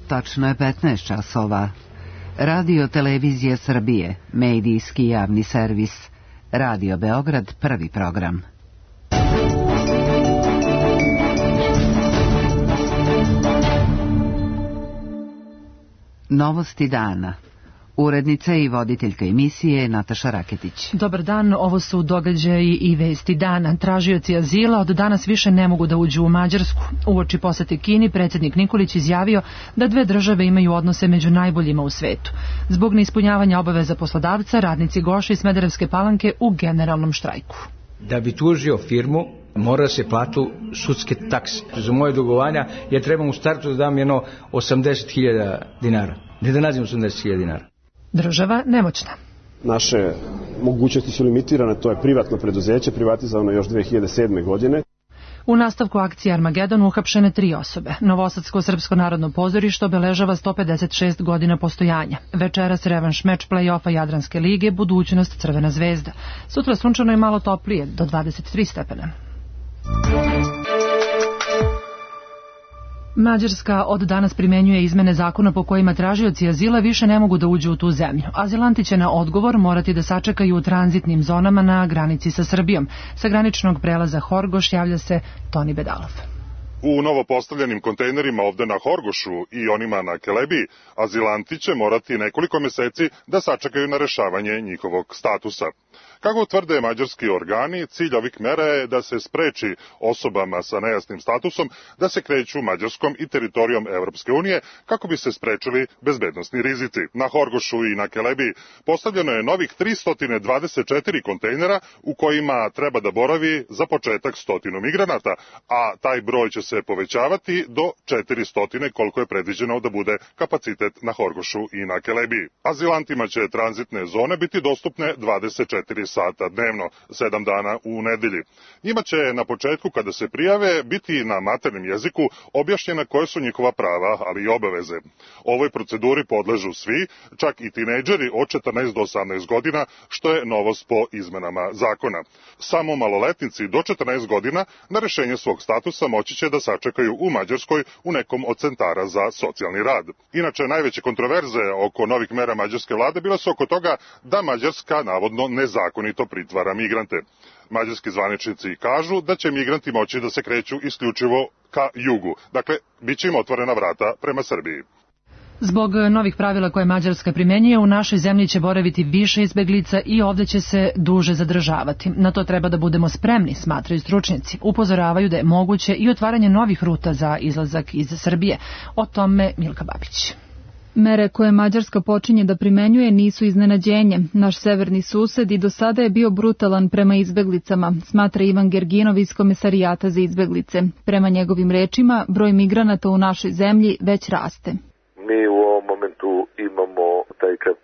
Tačno je 15 časova. Radio Televizija Srbije, medijski javni servis. Radio Beograd, prvi program. Novosti dana. Urednica i voditeljka emisije Nataša Raketić. Dobar dan, ovo su događaji i vesti dana. Tražioci azila od danas više ne mogu da uđu u Mađarsku. Uoči posete Kini, predsjednik Nikolić izjavio da dve države imaju odnose među najboljima u svetu. Zbog neispunjavanja obaveza poslodavca, radnici Goša i Smederevske Palanke u generalnom štrajku. Da bi tužio firmu, mora se platu sudske takse. Za moje dugovanja ja trebam u startu da dam jedno 80.000 dinara. Ne da nađem 80.000 dinara. Država nemoćna. Naše mogućnosti su limitirane, to je privatno preduzeće, privatizovano još 2007. godine. U nastavku akcije Armagedon uhapšene 3 osobe. Novosadsko srpsko narodno pozorište obeležava 156 godina postojanja. Večeras revanš meč play-offa Jadranske lige, budućnost Crvena zvezda. Sutra sunčano i malo toplije, do 23 stepena. Mađarska od danas primenjuje izmene zakona po kojima tražioci azila više ne mogu da uđu u tu zemlju. Azilanti će na odgovor morati da sačekaju u tranzitnim zonama na granici sa Srbijom. Sa graničnog prelaza Horgoš javlja se Toni Bedalov. U novopostavljenim kontejnerima ovde na Horgošu i onima na Kelebiji, azilanti će morati nekoliko meseci da sačekaju na rešavanje njihovog statusa. Kako tvrde mađarski organi, cilj ovih mera je da se spreči osobama sa nejasnim statusom da se kreću Mađarskom i teritorijom Evropske unije kako bi se sprečili bezbednosni rizici. Na Horgošu i na Kelebiji postavljeno je novih 324 kontejnera u kojima treba da boravi za početak 100 migranata, a taj broj će se povećavati do 400 koliko je predviđeno da bude kapacitet na Horgošu i na Kelebiji. Azilantima će tranzitne zone biti dostupne 24 sata dnevno, 7 dana u nedelji. Njima će na početku kada se prijave biti na maternjem jeziku objašnjena koje su njihova prava, ali i obaveze. Ovoj proceduri podležu svi, čak i tinejdžeri od 14 do 18 godina, što je novost po izmenama zakona. Samo maloletnici do 14 godina na rešenje svog statusa moći će da sačekaju u Mađarskoj u nekom od centara za socijalni rad. Inače, najveće kontroverze oko novih mera mađarske vlade bile su oko toga da Mađarska navodno nezakonito pritvara migrante. Mađarski zvaničnici kažu da će migranti moći da se kreću isključivo ka jugu. Dakle, bit će im otvorena vrata prema Srbiji. Zbog novih pravila koje Mađarska primenjuje, u našoj zemlji će boraviti više izbeglica i ovdje će se duže zadržavati. Na to treba da budemo spremni, smatraju stručnjaci. Upozoravaju da je moguće i otvaranje novih ruta za izlazak iz Srbije. O tome Milka Babić. Mere koje Mađarska počinje da primenjuje nisu iznenađenje. Naš severni sused i do sada je bio brutalan prema izbeglicama, smatra Ivan Gerginov iz Komesarijata za izbeglice. Prema njegovim rečima, broj migranata u našoj zemlji već raste. Mi u ovom momentu imamo taj trend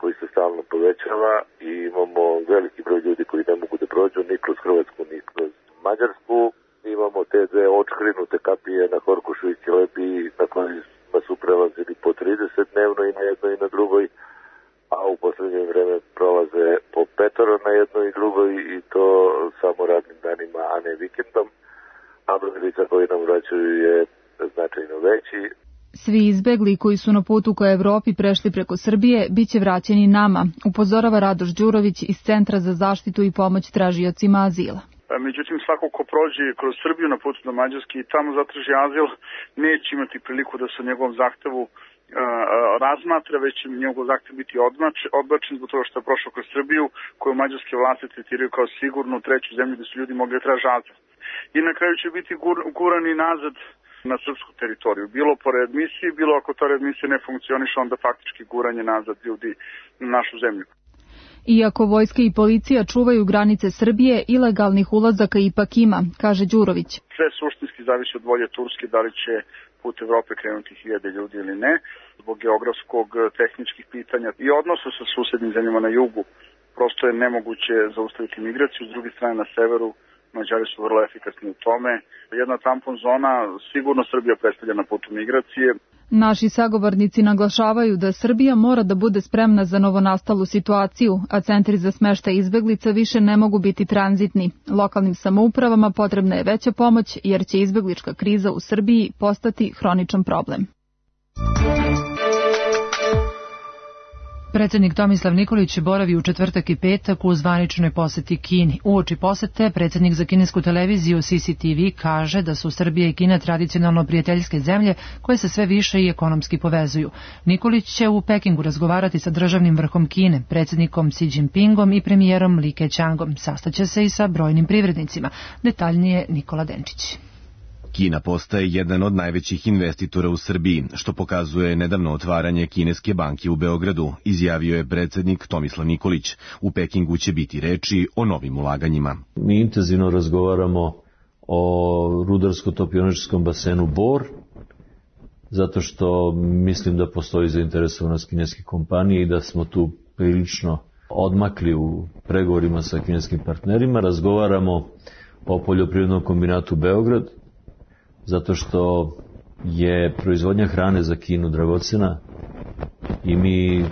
koji se stalno povećava i imamo veliki broj ljudi koji ne mogu da prođu ni kroz Hrvatsku, ni kroz Mađarsku. Imamo te dve očkrinute kapije na Horgošu i Kelebiji na kojima su prelazili po 30 dnevno i na jednoj i na drugoj, a u poslednje vreme prolaze po 5 na jednoj i drugoj i to samo radnim danima, a ne vikendom, a broj lica koji nam vraćaju je značajno veći. Svi izbegli koji su na putu ka Evropi prešli preko Srbije bit će vraćeni nama, upozorava Radoš Đurović iz Centra za zaštitu i pomoć tražiocima azila. Međutim, svako ko prođe kroz Srbiju na putu do Mađarske i tamo zatraži azil, neće imati priliku da se o njegovom zahtevu razmatra, već će njegov zahtev biti odbačen zbog toga što je prošao kroz Srbiju, koju mađarske vlasti tretiraju kao sigurnu treću zemlju gde su ljudi mogli da traže azil. I na kraju će biti gurani nazad na srpsku teritoriju. Bilo po readmisiji, bilo ako ta readmisija ne funkcioniše, onda faktički guranje nazad ljudi na našu zemlju. Iako vojska i policija čuvaju granice Srbije, ilegalnih ulazaka ipak ima, kaže Đurović. Sve suštinski zavisi od volje Turske, da li će put Evrope krenuti 1000 ljudi ili ne, zbog geografskog, tehničkih pitanja i odnosa sa susednim zemljama na jugu. Prosto je nemoguće zaustaviti migraciju, s druge strane na severu Mađari su vrlo efikasni u tome. Jedna tampon zona sigurno Srbija predstavlja na putu migracije. Naši sagovornici naglašavaju da Srbija mora da bude spremna za novonastalu situaciju, a centri za smeštaj izbeglica više ne mogu biti tranzitni. Lokalnim samoupravama potrebna je veća pomoć jer će izbeglička kriza u Srbiji postati hroničan problem. Predsjednik Tomislav Nikolić boravi u četvrtak i petak u zvaničnoj poseti Kini. Uoči posete, predsjednik za kinesku televiziju CCTV kaže da su Srbija i Kina tradicionalno prijateljske zemlje koje se sve više i ekonomski povezuju. Nikolić će u Pekingu razgovarati sa državnim vrhom Kine, predsjednikom Xi Jinpingom i premijerom Li Keqiangom. Sastaće se i sa brojnim privrednicima. Detaljnije Nikola Denčić. Kina postaje jedan od najvećih investitora u Srbiji, što pokazuje nedavno otvaranje kineske banke u Beogradu, izjavio je predsjednik Tomislav Nikolić. U Pekingu će biti reči o novim ulaganjima. Mi intenzivno razgovaramo o rudarsko-topioničarskom basenu Bor, zato što mislim da postoji zainteresovanost kineske kompanije i da smo tu prilično odmakli u pregovorima sa kineskim partnerima. Razgovaramo o poljoprivrednom kombinatu Beograd, zato što je proizvodnja hrane za Kinu dragocena i mi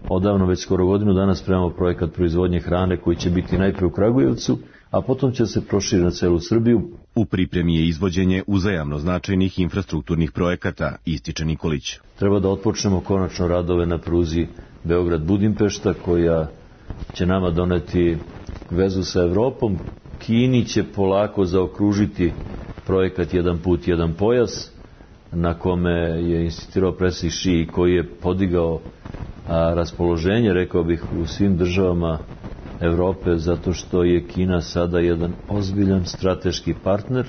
odavno već skoro godinu dana spremamo projekat proizvodnje hrane koji će biti najprije u Kragujevcu, a potom će se proširiti na celu Srbiju. U pripremi je izvođenje uzajamno značajnih infrastrukturnih projekata, ističe Nikolić. Treba da otpočnemo konačno radove na pruzi Beograd-Budimpešta, koja će nama doneti vezu sa Evropom. Kini će polako zaokružiti projekat Jedan put, jedan pojas, na kome je insistirao predsjednik Xi, koji je podigao raspoloženje, rekao bih, u svim državama Evrope, zato što je Kina sada jedan ozbiljan strateški partner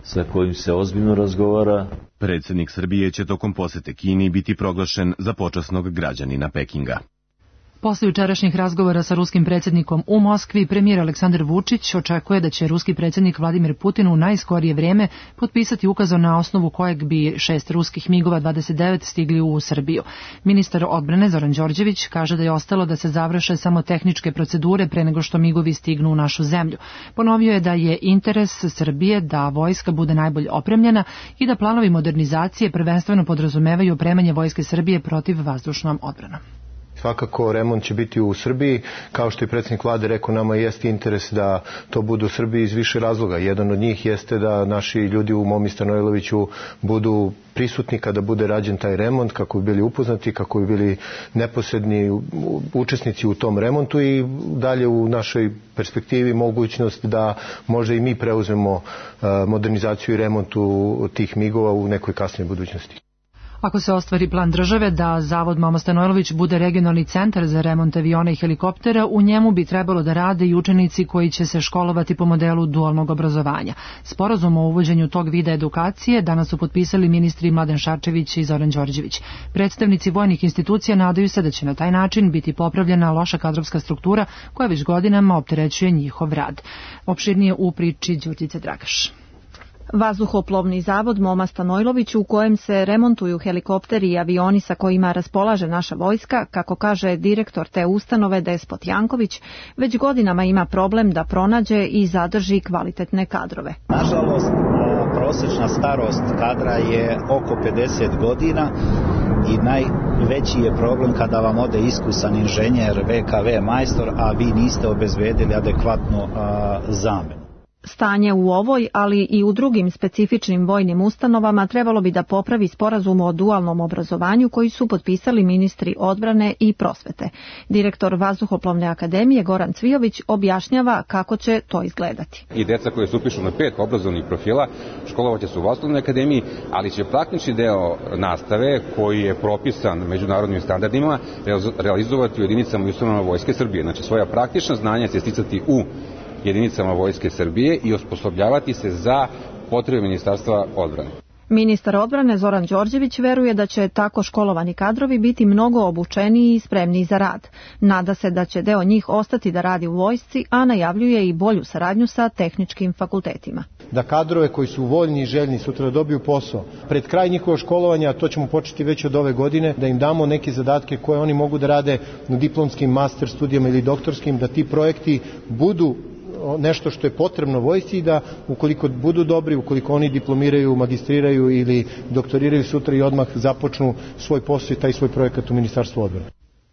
sa kojim se ozbiljno razgovara. Predsjednik Srbije će tokom posete Kini biti proglašen za počasnog građanina Pekinga. Posle jučerašnjih razgovora sa ruskim predsjednikom u Moskvi, premijer Aleksandar Vučić očekuje da će ruski predsjednik Vladimir Putin u najskorije vrijeme potpisati ukaz na osnovu kojeg bi 6 ruskih MiG-ova 29 stigli u Srbiju. Ministar odbrane Zoran Đorđević kaže da je ostalo da se završe samo tehničke procedure pre nego što MiG-ovi stignu u našu zemlju. Ponovio je da je interes Srbije da vojska bude najbolje opremljena i da planovi modernizacije prvenstveno podrazumevaju opremanje vojske Srbije protiv vazdušnom odbranom. Svakako remont će biti u Srbiji, kao što je predsjednik vlade rekao, nama jeste interes da to bude u Srbiji iz više razloga. Jedan od njih jeste da naši ljudi u Momi Stanojloviću budu prisutni kada bude rađen taj remont, kako bi bili upoznati, kako bi bili neposredni učesnici u tom remontu i dalje u našoj perspektivi mogućnost da možda i mi preuzmemo modernizaciju i remontu tih MiG-ova u nekoj kasnijoj budućnosti. Ako se ostvari plan države da Zavod Momo Stanojlović bude regionalni centar za remont aviona i helikoptera, u njemu bi trebalo da rade i učenici koji će se školovati po modelu dualnog obrazovanja. Sporazum o uvođenju tog vida edukacije danas su potpisali ministri Mladen Šarčević i Zoran Đorđević. Predstavnici vojnih institucija nadaju se da će na taj način biti popravljena loša kadrovska struktura koja već godinama opterećuje njihov rad. Opširnije u priči Đurđice Dragaš. Vazduhoplovni zavod Moma Stanojlović, u kojem se remontuju helikopteri i avioni sa kojima raspolaže naša vojska, kako kaže direktor te ustanove Despot Janković, već godinama ima problem da pronađe i zadrži kvalitetne kadrove. Nažalost, prosječna starost kadra je oko 50 godina i najveći je problem kada vam ode iskusan inženjer, VKV majstor, a vi niste obezbedili adekvatnu zamenu. Stanje u ovoj, ali i u drugim specifičnim vojnim ustanovama trebalo bi da popravi sporazum o dualnom obrazovanju koji su potpisali ministri odbrane i prosvete. Direktor Vazduhoplovne akademije Goran Cvijović objašnjava kako će to izgledati. I deca koje se upišu na 5 obrazovnih profila školovaće se u Vazduhoplovnoj akademiji, ali će praktični deo nastave koji je propisan međunarodnim standardima realizovati u jedinicama i ustanovama Vojske Srbije. Znači svoja praktična znanja će sticati u jedinicama Vojske Srbije i osposobljavati se za potrebe Ministarstva odbrane. Ministar odbrane Zoran Đorđević veruje da će tako školovani kadrovi biti mnogo obučeniji i spremniji za rad. Nada se da će deo njih ostati da radi u vojsci, a najavljuje i bolju saradnju sa tehničkim fakultetima. Da kadrove koji su voljni i željni sutra da dobiju posao, pred kraj njihovog školovanja, to ćemo početi već od ove godine, da im damo neke zadatke koje oni mogu da rade na diplomskim, master studijama ili doktorskim, da ti projekti budu nešto što je potrebno vojsci i da ukoliko budu dobri, ukoliko oni diplomiraju, magistriraju ili doktoriraju sutra i odmah započnu svoj posao i taj svoj projekat u Ministarstvu odbrane.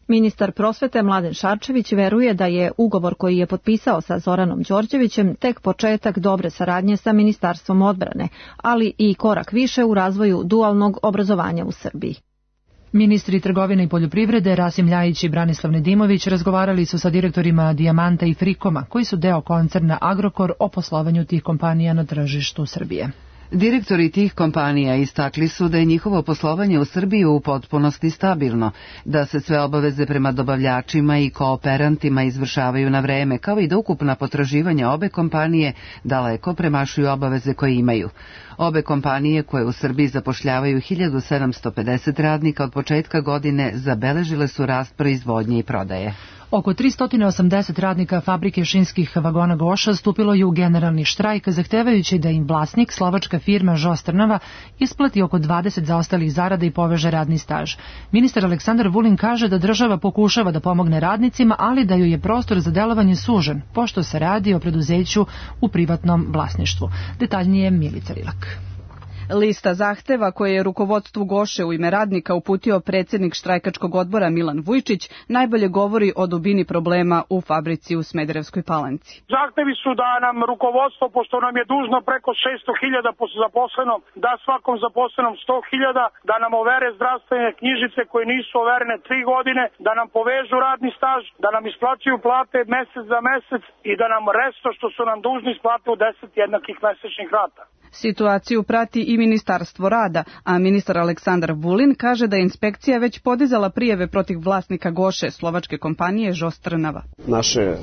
Ministar prosvete Mladen Šarčević veruje da je ugovor koji je potpisao sa Zoranom Đorđevićem tek početak dobre saradnje sa Ministarstvom odbrane, ali i korak više u razvoju dualnog obrazovanja u Srbiji. Ministri trgovine i poljoprivrede Rasim Ljajić i Branislav Nedimović razgovarali su sa direktorima Dijamanta i Frikoma, koji su deo koncerna Agrokor, o poslovanju tih kompanija na tržištu Srbije. Direktori tih kompanija istakli su da je njihovo poslovanje u Srbiji u potpunosti stabilno, da se sve obaveze prema dobavljačima i kooperantima izvršavaju na vreme, kao i da ukupna potraživanja obe kompanije daleko premašuju obaveze koje imaju. Obe kompanije, koje u Srbiji zapošljavaju 1750 radnika od početka godine, zabeležile su rast proizvodnje i prodaje. Oko 380 radnika fabrike šinskih vagona Goša stupilo je u generalni štrajk, zahtevajući da im vlasnik, slovačka firma Žos Trnava, isplati oko 20 zaostalih zarada i poveže radni staž. Ministar Aleksandar Vulin kaže da država pokušava da pomogne radnicima, ali da joj je prostor za delovanje sužen, pošto se radi o preduzeću u privatnom vlasništvu. Detaljnije Milica Rilak. Lista zahteva koje je rukovodstvu Goše u ime radnika uputio predsjednik štrajkačkog odbora Milan Vujčić najbolje govori o dubini problema u fabrici u Smederevskoj Palanci. Zahtevi su da nam rukovodstvo, pošto nam je dužno preko 600.000 po zaposlenom, da svakom zaposlenom 100.000, da nam overe zdravstvene knjižice koje nisu overene 3 godine, da nam povežu radni staž, da nam isplaćuju plate mesec za mesec i da nam resto što su nam dužni isplate u 10 jednakih mesečnih rata. Situaciju prati i Ministarstvo rada, a ministar Aleksandar Vulin kaže da je inspekcija već podizala prijave protiv vlasnika Goše, slovačke kompanije Žos Trnava. Naše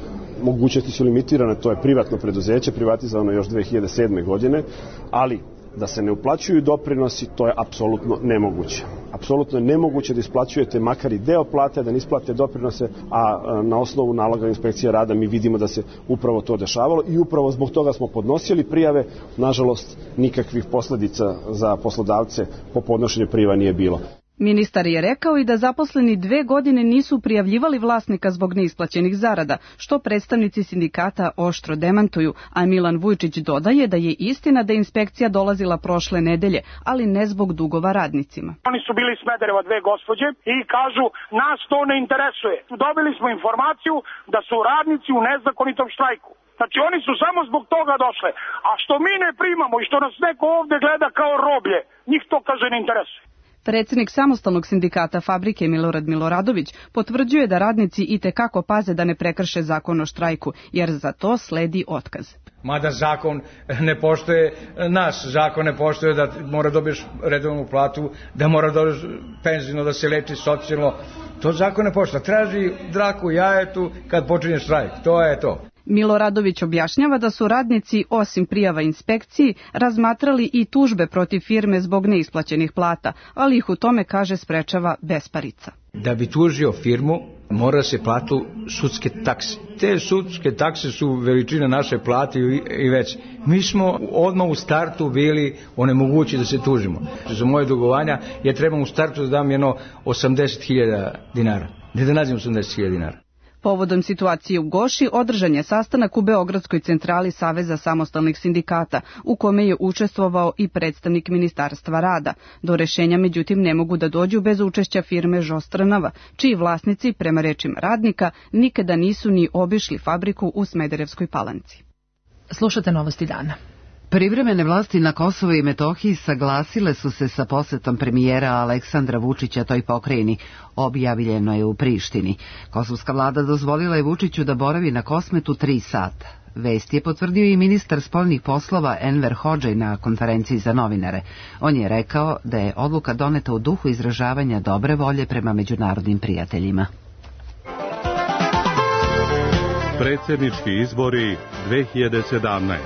mogućnosti su limitirane, to je privatno preduzeće, privatizovano još 2007. godine, ali da se ne uplaćuju doprinosi, to je apsolutno nemoguće. Apsolutno je nemoguće da isplaćujete makar i deo plate, da ne isplate doprinose, a na osnovu naloga inspekcije rada mi vidimo da se upravo to dešavalo i upravo zbog toga smo podnosili prijave. Nažalost, nikakvih posledica za poslodavce po podnošenju prijava nije bilo. Ministar je rekao i da zaposleni 2 godine nisu prijavljivali vlasnika zbog neisplaćenih zarada, što predstavnici sindikata oštro demantuju, a Milan Vujčić dodaje da je istina da je inspekcija dolazila prošle nedelje, ali ne zbog dugova radnicima. Oni su bili iz Smedereva 2 gospođe i kažu nas to ne interesuje. Dobili smo informaciju da su radnici u nezakonitom štrajku. Znači oni su samo zbog toga došle, a što mi ne primamo i što nas neko ovde gleda kao roblje, njih to kaže ne interesuje. Predsjednik samostalnog sindikata fabrike Milorad Miloradović potvrđuje da radnici itekako paze da ne prekrše zakon o štrajku, jer za to sledi otkaz. Mada zakon ne poštuje, naš zakon ne poštuje da mora dobiješ redovnu platu, da mora dobiješ penzijno, da se leči socijalno. To zakon ne poštuje. Traži draku jajetu kad počinje štrajk. To je to. Miloradović objašnjava da su radnici, osim prijava inspekciji, razmatrali i tužbe protiv firme zbog neisplaćenih plata, ali ih u tome, kaže, sprečava besparica. Da bi tužio firmu, mora se platu sudske takse. Te sudske takse su veličina naše plate i već. Mi smo odmah u startu bili onemogući da se tužimo. Za moje dugovanja ja trebam u startu da dam jedno 80.000 dinara. Ne da nađem 80.000 dinara. Povodom situacije u Goši održan je sastanak u Beogradskoj centrali Saveza samostalnih sindikata, u kome je učestvovao i predstavnik Ministarstva rada. Do rešenja međutim ne mogu da dođu bez učešća firme Žos Trnava, čiji vlasnici, prema rečima radnika, nikada nisu ni obišli fabriku u Smederevskoj Palanci. Slušate novosti dana. Privremene vlasti na Kosovu i Metohiji saglasile su se sa posetom premijera Aleksandra Vučića toj pokrajini. Objavljeno je u Prištini. Kosovska vlada dozvolila je Vučiću da boravi na Kosmetu 3 sata. Vest je potvrdio i ministar spoljnih poslova Enver Hodžaj na konferenciji za novinare. On je rekao da je odluka doneta u duhu izražavanja dobre volje prema međunarodnim prijateljima. Predsjednički izbori 2017.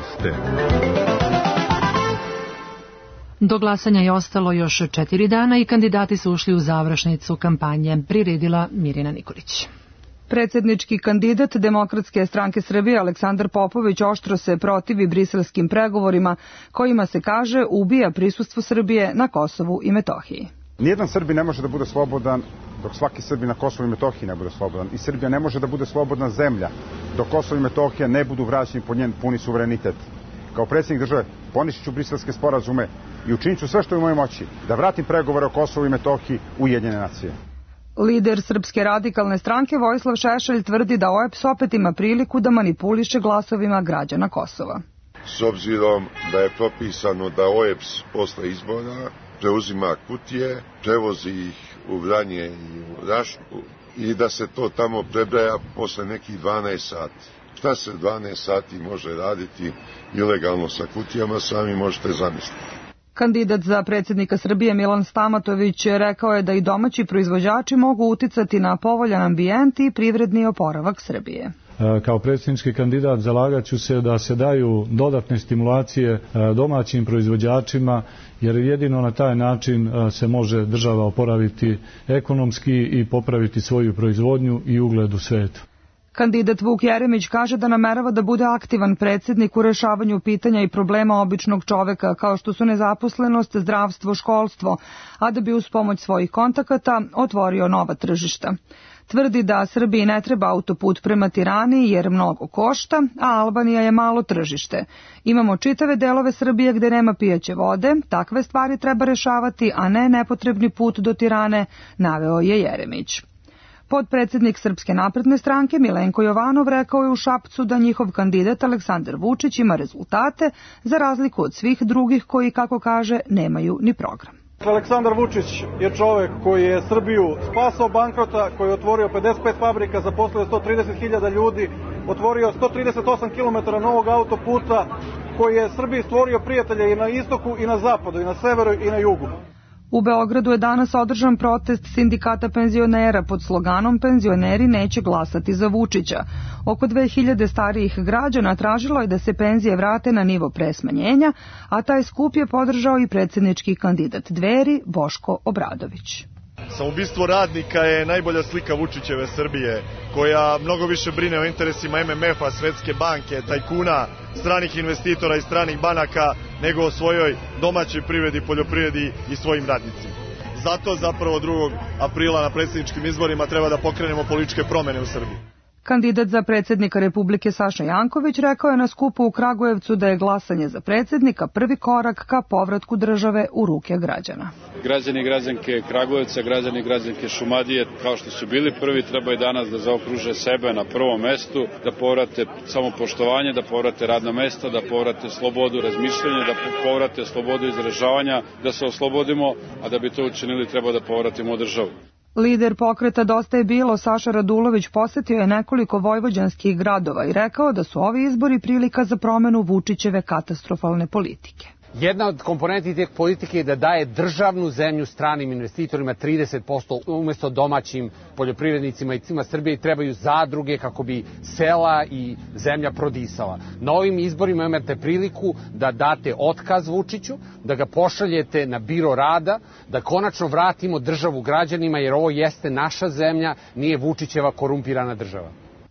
Do glasanja je ostalo još 4 dana i kandidati su ušli u završnicu kampanje, priredila Mirjana Nikolić. Predsjednički kandidat Demokratske stranke Srbije Aleksandar Popović oštro se protivi briselskim pregovorima kojima se kaže ubija prisustvo Srbije na Kosovu i Metohiji. Nijedan Srbin ne može da bude slobodan dok svaki Srbin na Kosovu i Metohiji ne bude slobodan. I Srbija ne može da bude slobodna zemlja dok Kosovo i Metohija ne budu vraćeni po njen puni suverenitet. Kao predsjednik države poništit ću briselske sporazume i učinit ću sve što je u mojoj moći da vratim pregovore o Kosovu i Metohiji u Ujedinjene nacije. Lider Srpske radikalne stranke Vojislav Šešelj tvrdi da OEBS opet ima priliku da manipuliše glasovima građana Kosova. S obzirom da je propisano da OEBS posle izbora preuzima kutije, prevozi ih u Vranje i u Rašku i da se to tamo prebraja posle nekih 12 sati. Šta se 12 sati može raditi ilegalno sa kutijama, sami možete zamisliti. Kandidat za predsjednika Srbije Milan Stamatović rekao je da i domaći proizvođači mogu uticati na povoljan ambijent i privredni oporavak Srbije. Kao predsjednički kandidat zalagat ću se da se daju dodatne stimulacije domaćim proizvođačima, jer jedino na taj način se može država oporaviti ekonomski i popraviti svoju proizvodnju i ugled u svijetu. Kandidat Vuk Jeremić kaže da namerava da bude aktivan predsjednik u rešavanju pitanja i problema običnog čoveka, kao što su nezaposlenost, zdravstvo, školstvo, a da bi uz pomoć svojih kontakata otvorio nova tržišta. Tvrdi da Srbiji ne treba autoput prema Tirani jer mnogo košta, a Albanija je malo tržište. Imamo čitave delove Srbije gde nema pijaće vode, takve stvari treba rešavati, a ne nepotrebni put do Tirane, naveo je Jeremić. Potpredsjednik Srpske napredne stranke Milenko Jovanov rekao je u Šapcu da njihov kandidat Aleksandar Vučić ima rezultate za razliku od svih drugih koji, kako kaže, nemaju ni program. Aleksandar Vučić je čovek koji je Srbiju spasao bankrota, koji je otvorio 55 fabrika, zaposlio 130.000 ljudi, otvorio 138 km novog autoputa, koji je Srbiji stvorio prijatelje i na istoku i na zapadu, i na severu i na jugu. U Beogradu je danas održan protest sindikata penzionera pod sloganom "Penzioneri neće glasati za Vučića". Oko 2000 starijih građana tražilo je da se penzije vrate na nivo pre smanjenja, a taj skup je podržao i predsjednički kandidat Dveri Boško Obradović. Samoubistvo radnika je najbolja slika Vučićeve Srbije, koja mnogo više brine o interesima MMF-a, Svetske banke, tajkuna, stranih investitora i stranih banaka, nego o svojoj domaćoj privredi, poljoprivredi i svojim radnicima. Zato zapravo 2. aprila na predsjedničkim izborima treba da pokrenemo političke promene u Srbiji. Kandidat za predsjednika Republike Saša Janković rekao je na skupu u Kragujevcu da je glasanje za predsjednika prvi korak ka povratku države u ruke građana. Građani i građanke Kragujevca, građani i građanke Šumadije, kao što su bili prvi, trebaju danas da zaokruže sebe na prvom mestu, da povrate samopoštovanje, da povrate radna mesta, da povrate slobodu razmišljanja, da povrate slobodu izražavanja, da se oslobodimo, a da bi to učinili treba da povratimo državu. Lider pokreta Dosta je bilo Saša Radulović posetio je nekoliko vojvođanskih gradova i rekao da su ovi izbori prilika za promenu Vučićeve katastrofalne politike. Jedna od komponenti te politike je da daje državnu zemlju stranim investitorima 30% umjesto domaćim poljoprivrednicima i cima Srbije trebaju zadruge kako bi sela i zemlja prodisala. Na ovim izborima imate priliku da date otkaz Vučiću, da ga pošaljete na biro rada, da konačno vratimo državu građanima jer ovo jeste naša zemlja, nije Vučićeva korumpirana država.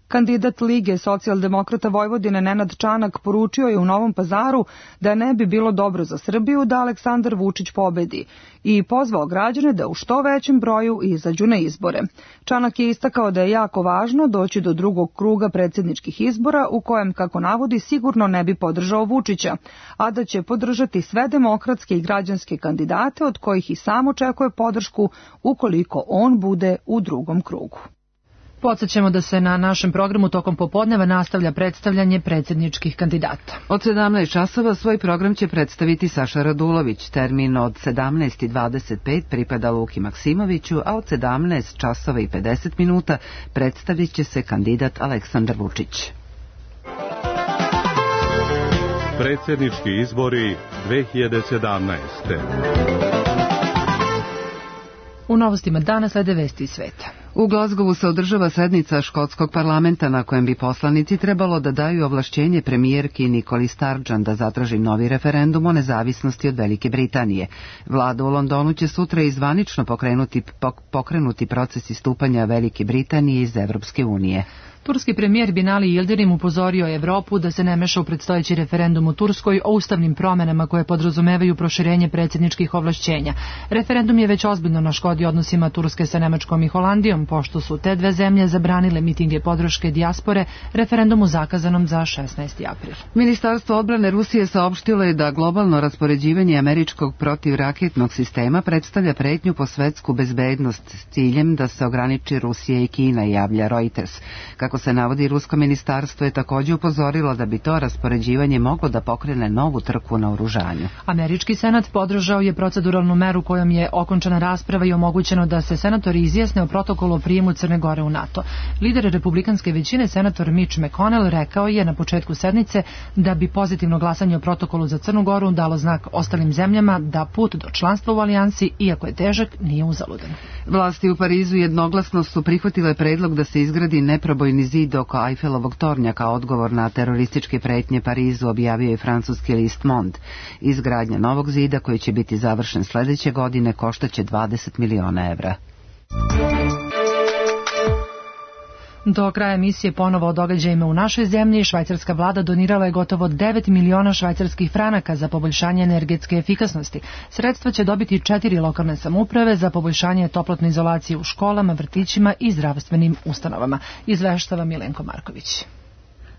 Kandidat Lige socijaldemokrata Vojvodine Nenad Čanak poručio je u Novom Pazaru da ne bi bilo dobro za Srbiju da Aleksandar Vučić pobedi i pozvao građane da u što većem broju izađu na izbore. Čanak je istakao da je jako važno doći do drugog kruga predsjedničkih izbora u kojem, kako navodi, sigurno ne bi podržao Vučića, a da će podržati sve demokratske i građanske kandidate od kojih i sam očekuje podršku ukoliko on bude u drugom krugu. Podsjećamo da se na našem programu tokom popodneva nastavlja predstavljanje predsjedničkih kandidata. Od 17 časova svoj program će predstaviti Saša Radulović. Termin od 17:25 pripada Luki Maksimoviću, a od 17 časova i 50 minuta predstavit će se kandidat Aleksandar Vučić. Predsjednički izbori 2017. U novostima dana slede vesti iz sveta. U Glazgovu se održava sednica škotskog parlamenta na kojem bi poslanici trebalo da daju ovlašćenje premijerki Nikoli Sturgeon da zatraži novi referendum o nezavisnosti od Velike Britanije. Vlada u Londonu će sutra izvanično pokrenuti proces istupanja Velike Britanije iz Evropske unije. Turski premijer Binali Yildirim upozorio Evropu da se ne meša u predstojeći referendum u Turskoj o ustavnim promenama koje podrazumevaju proširenje predsjedničkih ovlašćenja. Referendum je već ozbiljno naškodio odnosima Turske sa Nemačkom i Holandijom, pošto su te dve zemlje zabranile mitinge podrške dijaspore referendumu zakazanom za 16. april. Ministarstvo odbrane Rusije saopštilo je da globalno raspoređivanje američkog protivraketnog sistema predstavlja pretnju po svetsku bezbednost s ciljem da se ograniči Rusija i Kina, javlja Reuters. Kako Kako se navodi, rusko ministarstvo je također upozorilo da bi to raspoređivanje moglo da pokrene novu trku na oružanju. Američki senat podržao je proceduralnu meru kojom je okončana rasprava i omogućeno da se senatori izjasne o protokolu o prijemu Crne Gore u NATO. Lider republikanske većine, senator Mitch McConnell, rekao je na početku sednice da bi pozitivno glasanje o protokolu za Crnu Goru dalo znak ostalim zemljama da put do članstva u alijansi, iako je težak, nije uzaludan. Vlasti u Parizu jednoglasno su prihvatile predlog da se izgradi neprobojni zid oko Eiffelovog tornja kao odgovor na terorističke pretnje Parizu, objavio je francuski list Monde. Izgradnja novog zida, koji će biti završen sljedeće godine, koštaće 20 miliona evra. Do kraja emisije ponovo o događajima u našoj zemlji. Švajcarska vlada donirala je gotovo 9 miliona švajcarskih franaka za poboljšanje energetske efikasnosti. Sredstva će dobiti 4 lokalne samouprave za poboljšanje toplotne izolacije u školama, vrtićima i zdravstvenim ustanovama. Izveštava Milenko Marković.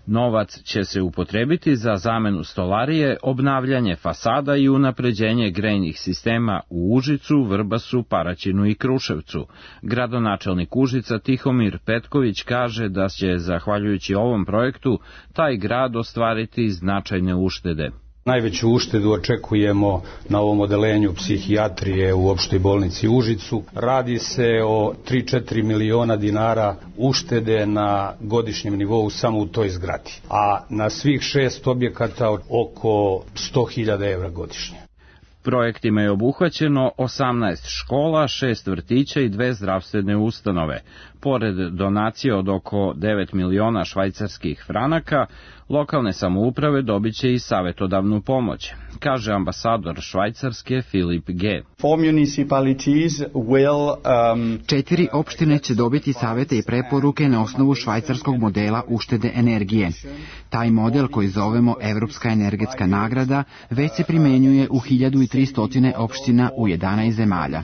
Novac će se upotrebiti za zamenu stolarije, obnavljanje fasada i unapređenje grejnih sistema u Užicu, Vrbasu, Paraćinu i Kruševcu. Gradonačelnik Užica Tihomir Petković kaže da će, zahvaljujući ovom projektu, taj grad ostvariti značajne uštede. Najveću uštedu očekujemo na ovom odelenju psihijatrije u opštoj bolnici Užicu. Radi se o 3-4 miliona dinara uštede na godišnjem nivou samo u toj zgradi, a na svih 6 objekata oko 100.000 evra godišnje. Projektima je obuhvaćeno 18 škola, 6 vrtića i 2 zdravstvene ustanove. Pored donacije od oko 9 miliona švajcarskih franaka, lokalne samouprave dobit će i savjetodavnu pomoć, kaže ambasador Švajcarske Filip G. 4 opštine će dobiti savjete i preporuke na osnovu švajcarskog modela uštede energije. Taj model, koji zovemo Evropska energetska nagrada, već se primjenjuje u 1300 opština u 11 zemalja.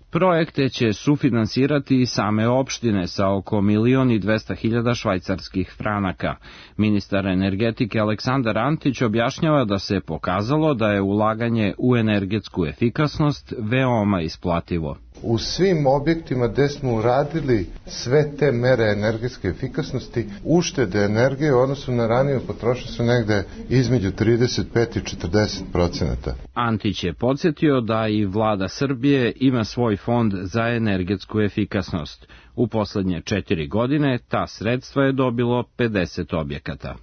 Projekte će sufinansirati i same opštine sa oko 1.200.000 švajcarskih franaka. Ministar energetike Aleksandar Antić objašnjava da se pokazalo da je ulaganje u energetsku efikasnost veoma isplativo. U svim objektima gde smo uradili sve te mere energetske efikasnosti, uštede energije u odnosu na raniju potrošnju su negde između 35 i 40%. Antić je podsjetio da i vlada Srbije ima svoj fond za energetsku efikasnost. U poslednje 4 godine ta sredstva je dobilo 50 objekata.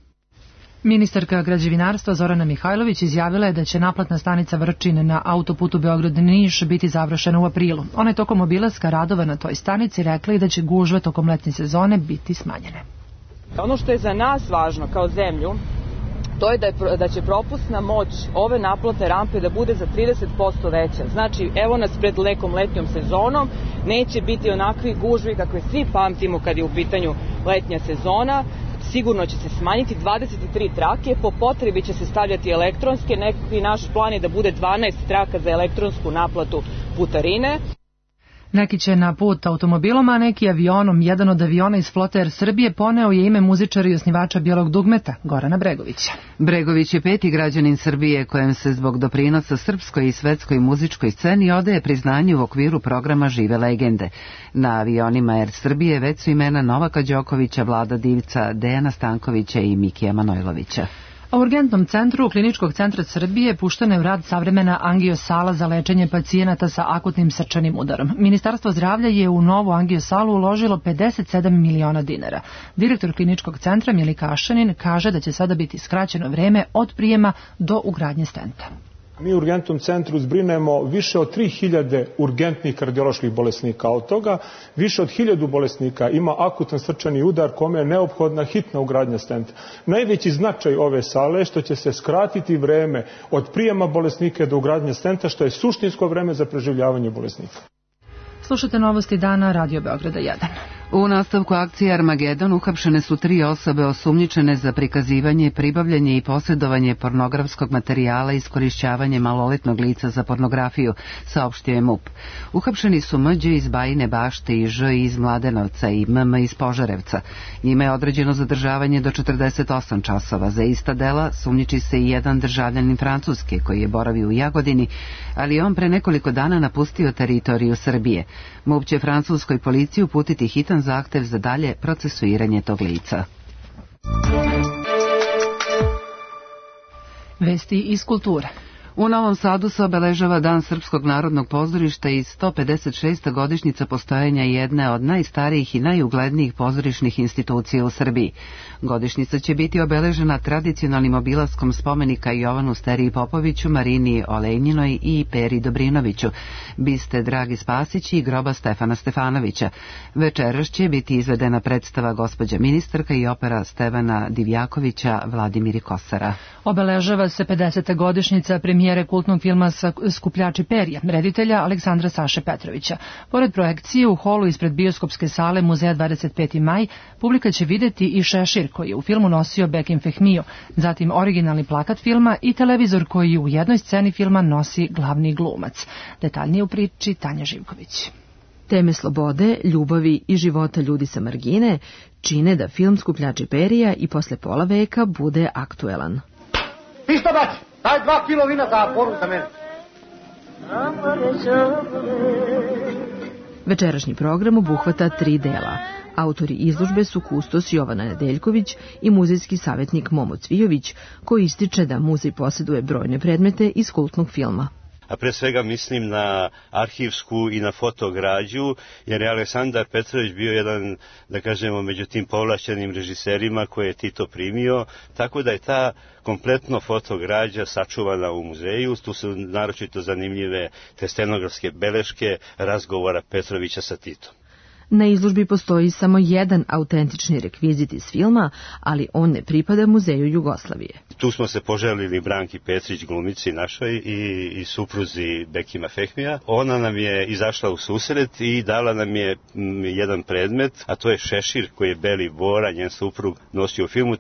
Ministarka građevinarstva Zorana Mihajlović izjavila je da će naplatna stanica Vrčin na autoputu Beograd-Niš biti završena u aprilu. Ona je tokom obilaska radova na toj stanici rekla i da će gužve tokom letnje sezone biti smanjene. Ono što je za nas važno kao zemlju, to je da će propusna moć ove naplatne rampe da bude za 30% veća. Znači, evo nas pred nekom letnjom sezonom, neće biti onakvi gužvi kakve svi pamtimo kad je u pitanju letnja sezona. Sigurno će se smanjiti 23 trake, po potrebi će se stavljati elektronske, neki naš plan je da bude 12 traka za elektronsku naplatu putarine. Neki će na put automobilom, a neki avionom. Jedan od aviona iz flote Air Srbije poneo je ime muzičara i osnivača Bijelog dugmeta, Gorana Bregovića. Bregović je 5. građanin Srbije kojem se zbog doprinosa srpskoj i svetskoj muzičkoj sceni odaje priznanje u okviru programa Žive legende. Na avionima Air Srbije već su imena Novaka Đokovića, Vlada Divca, Dejana Stankovića i Mikija Manojlovića. U urgentnom centru Kliničkog centra Srbije puštena je u rad savremena angiosala za lečenje pacijenata sa akutnim srčanim udarom. Ministarstvo zdravlja je u novu angiosalu uložilo 57 miliona dinara. Direktor Kliničkog centra Milika Ašanin kaže da će sada biti skraćeno vreme od prijema do ugradnje stenta. Mi u urgentnom centru zbrinemo više od 3000 urgentnih kardioloških bolesnika. Od toga više od 1000 bolesnika ima akutan srčani udar kome je neophodna hitna ugradnja stenta. Najveći značaj ove sale je što će se skratiti vreme od prijema bolesnika do ugradnje stenta, što je suštinsko vreme za preživljavanje bolesnika. Slušate novosti dana Radio Beograda 1. U nastavku akcije Armagedon uhapšene su 3 osobe osumnjičene za prikazivanje, pribavljanje i posjedovanje pornografskog materijala i iskorišćavanje maloletnog lica za pornografiju, saopštio je MUP. Uhapšeni su M.Đ. iz Bajine Bašte i Ž. iz Mladenovca i M.M. iz Požarevca. Njima je određeno zadržavanje do 48 časova. Za ista dela sumnjiči se i jedan državljanin Francuske koji je boravio u Jagodini, ali on pre nekoliko dana napustio teritoriju Srbije. MUP će francuskoj policiji uputiti hitan zahtev za dalje procesuiranje tog lica. Vesti iz kulture. U Novom Sadu se obeležava Dan Srpskog narodnog pozorišta i 156. godišnjica postojanja jedne od najstarijih i najuglednijih pozorišnih institucija u Srbiji. Godišnjica će biti obeležena tradicionalnim obilaskom spomenika Jovanu Steriji Popoviću, Marini Olejnjinoj i Peri Dobrinoviću, biste Dragi Spasić i groba Stefana Stefanovića. Večeras će biti izvedena predstava Gospođa ministarka i opera Stevana Divjakovića Vladimir i Kosara. Obeležava se 50. godišnjica premijere kultnog filma Skupljači perja, reditelja Aleksandra Saše Petrovića. Pored projekcije u holu ispred bioskopske sale Muzeja 25. maj, publika će videti i šešir koji je u filmu nosio Bekim Fehmio, zatim originalni plakat filma i televizor koji u jednoj sceni filma nosi glavni glumac. Detaljnije u priči Tanja Živković. Teme slobode, ljubavi i života ljudi sa margine čine da film Skupljači perija i posle pola veka bude aktuelan. Pišto baci, daj 2 kilo vina za poru za mene. Večerašnji program obuhvata 3 dela. Autori izložbe su kustos Jovana Nedeljković i muzejski savjetnik Momo Cvijović, koji ističe da muzej posjeduje brojne predmete iz kultnog filma. A pre svega mislim na arhivsku i na fotograđu, jer je Aleksandar Petrović bio jedan, da kažemo, među tim povlašćenim režiserima koje je Tito primio, tako da je ta kompletno fotograđa sačuvana u muzeju. Tu su naročito zanimljive te stenografske beleške razgovora Petrovića sa Titom. Na izložbi postoji samo jedan autentični rekvizit iz filma, ali on ne pripada Muzeju Jugoslavije. Tu smo se poželili Branki Petrić, glumici našoj i supruzi Bekima Fehmija. Ona nam je izašla u susret i dala nam je jedan predmet, a to je šešir koji je Beli Bora, njen suprug, nosio u filmu.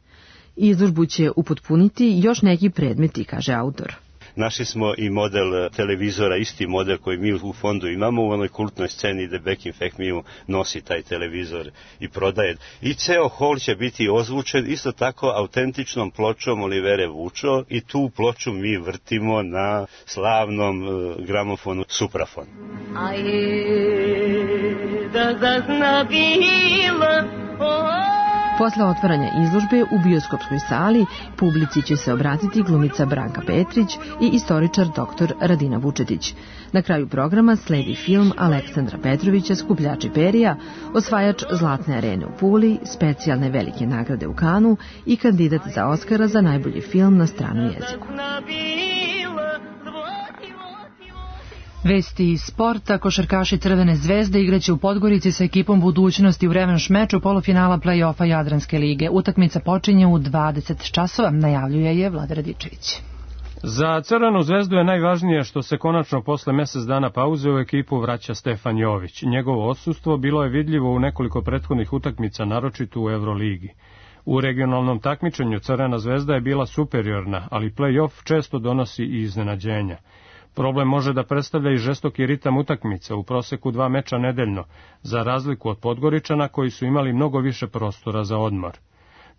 Izložbu će upotpuniti još neki predmeti, kaže autor. Našli smo i model televizora, isti model koji mi u fondu imamo u onoj kultnoj sceni gde Bekim Fehmiju nosi taj televizor i prodaje. I ceo hol će biti ozvučen isto tako autentičnom pločom Olivere Vučo i tu ploču mi vrtimo na slavnom gramofonu Suprafon. Posle otvaranja izložbe u bioskopskoj sali publici će se obratiti glumica Branka Petrić i istoričar dr. Radina Vučetić. Na kraju programa sledi film Aleksandra Petrovića Skupljači perija, osvajač Zlatne arene u Puli, specijalne velike nagrade u Kanu i kandidat za Oskara za najbolji film na stranom jeziku. Vesti iz sporta, košarkaši Crvene zvezde igraće u Podgorici sa ekipom Budućnosti u revanš meču polufinala play-offa Jadranske lige. Utakmica počinje u 20 časova, najavljuje je Vlada Radičević. Za Crvenu zvezdu je najvažnije što se konačno posle mesec dana pauze u ekipu vraća Stefan Jović. Njegovo odsustvo bilo je vidljivo u nekoliko prethodnih utakmica, naročito u Euroligi. U regionalnom takmičenju Crvena zvezda je bila superiorna, ali play-off često donosi i iznenađenja. Problem može da predstavlja i žestoki ritam utakmica, u proseku 2 meča nedeljno, za razliku od Podgoričana koji su imali mnogo više prostora za odmor.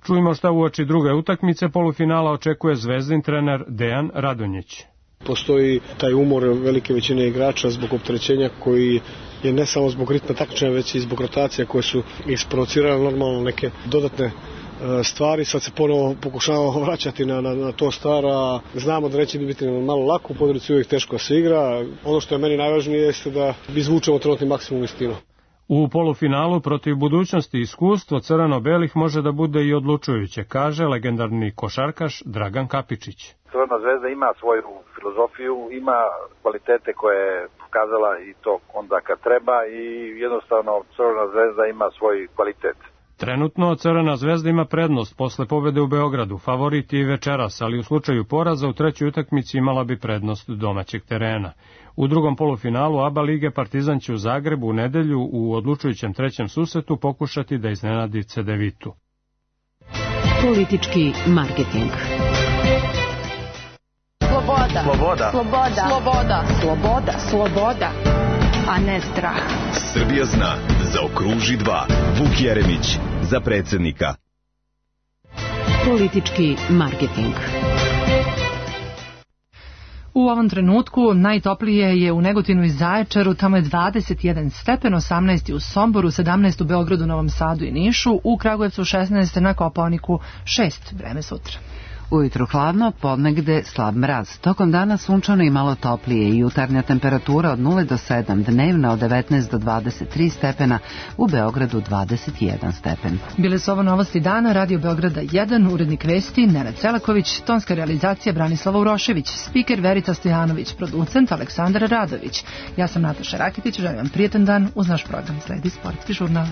Čujmo šta uoči druge utakmice polufinala očekuje Zvezdin trener Dejan Radonjić. Postoji taj umor velike većine igrača zbog opterećenja koji je ne samo zbog ritma takmičenja, već i zbog rotacija koje su isprovocirale normalno neke dodatne stvari. Sad se ponovo pokušavamo vraćati na to stara. Znamo da neće biti malo lako, u Podgorici uvijek teško se igra. Ono što je meni najvažnije jeste da izvučemo trenutni maksimum iz tima. U polufinalu protiv Budućnosti iskustvo crveno-belih može da bude i odlučujuće, kaže legendarni košarkaš Dragan Kapičić. Crvena zvezda ima svoju filozofiju, ima kvalitete koje je pokazala i to onda kad treba i jednostavno Crvena zvezda ima svoj kvalitet. Trenutno Crvena zvezda ima prednost posle pobede u Beogradu, favorit i večeras, ali u slučaju poraza u trećoj utakmici imala bi prednost domaćeg terena. U drugom polufinalu ABA lige Partizan će u Zagrebu u nedelju u odlučujućem trećem susretu pokušati da iznenadi Cedevitu. Politički marketing. Sloboda. Sloboda. Sloboda. Sloboda. Sloboda. Sloboda. A ne strah. Srbija zna, zaokruži 2. Vuk Jeremić za predsjednika. Politički marketing. U ovom trenutku najtoplije je u Negotinu i Zaječaru, tamo je 21 stepen, 18 u Somboru, 17 u Beogradu, Novom Sadu i Nišu, u Kragujevcu 16, na Kopaoniku 6, vreme sutra. Ujutru hladno, podnegde slab mraz. Tokom dana sunčano i malo toplije i jutarnja temperatura od 0 do 7, dnevna od 19 do 23 stepena, u Beogradu 21 stepen. Bile su ovo novosti dana, Radio Beograda 1, urednik vesti Nenad Selaković, tonska realizacija Branislava Urošević, spiker Verica Stojanović, producent Aleksandar Radović. Ja sam Nataša Rakitić, želim vam prijetan dan, uz naš program sledi Sportski žurnal.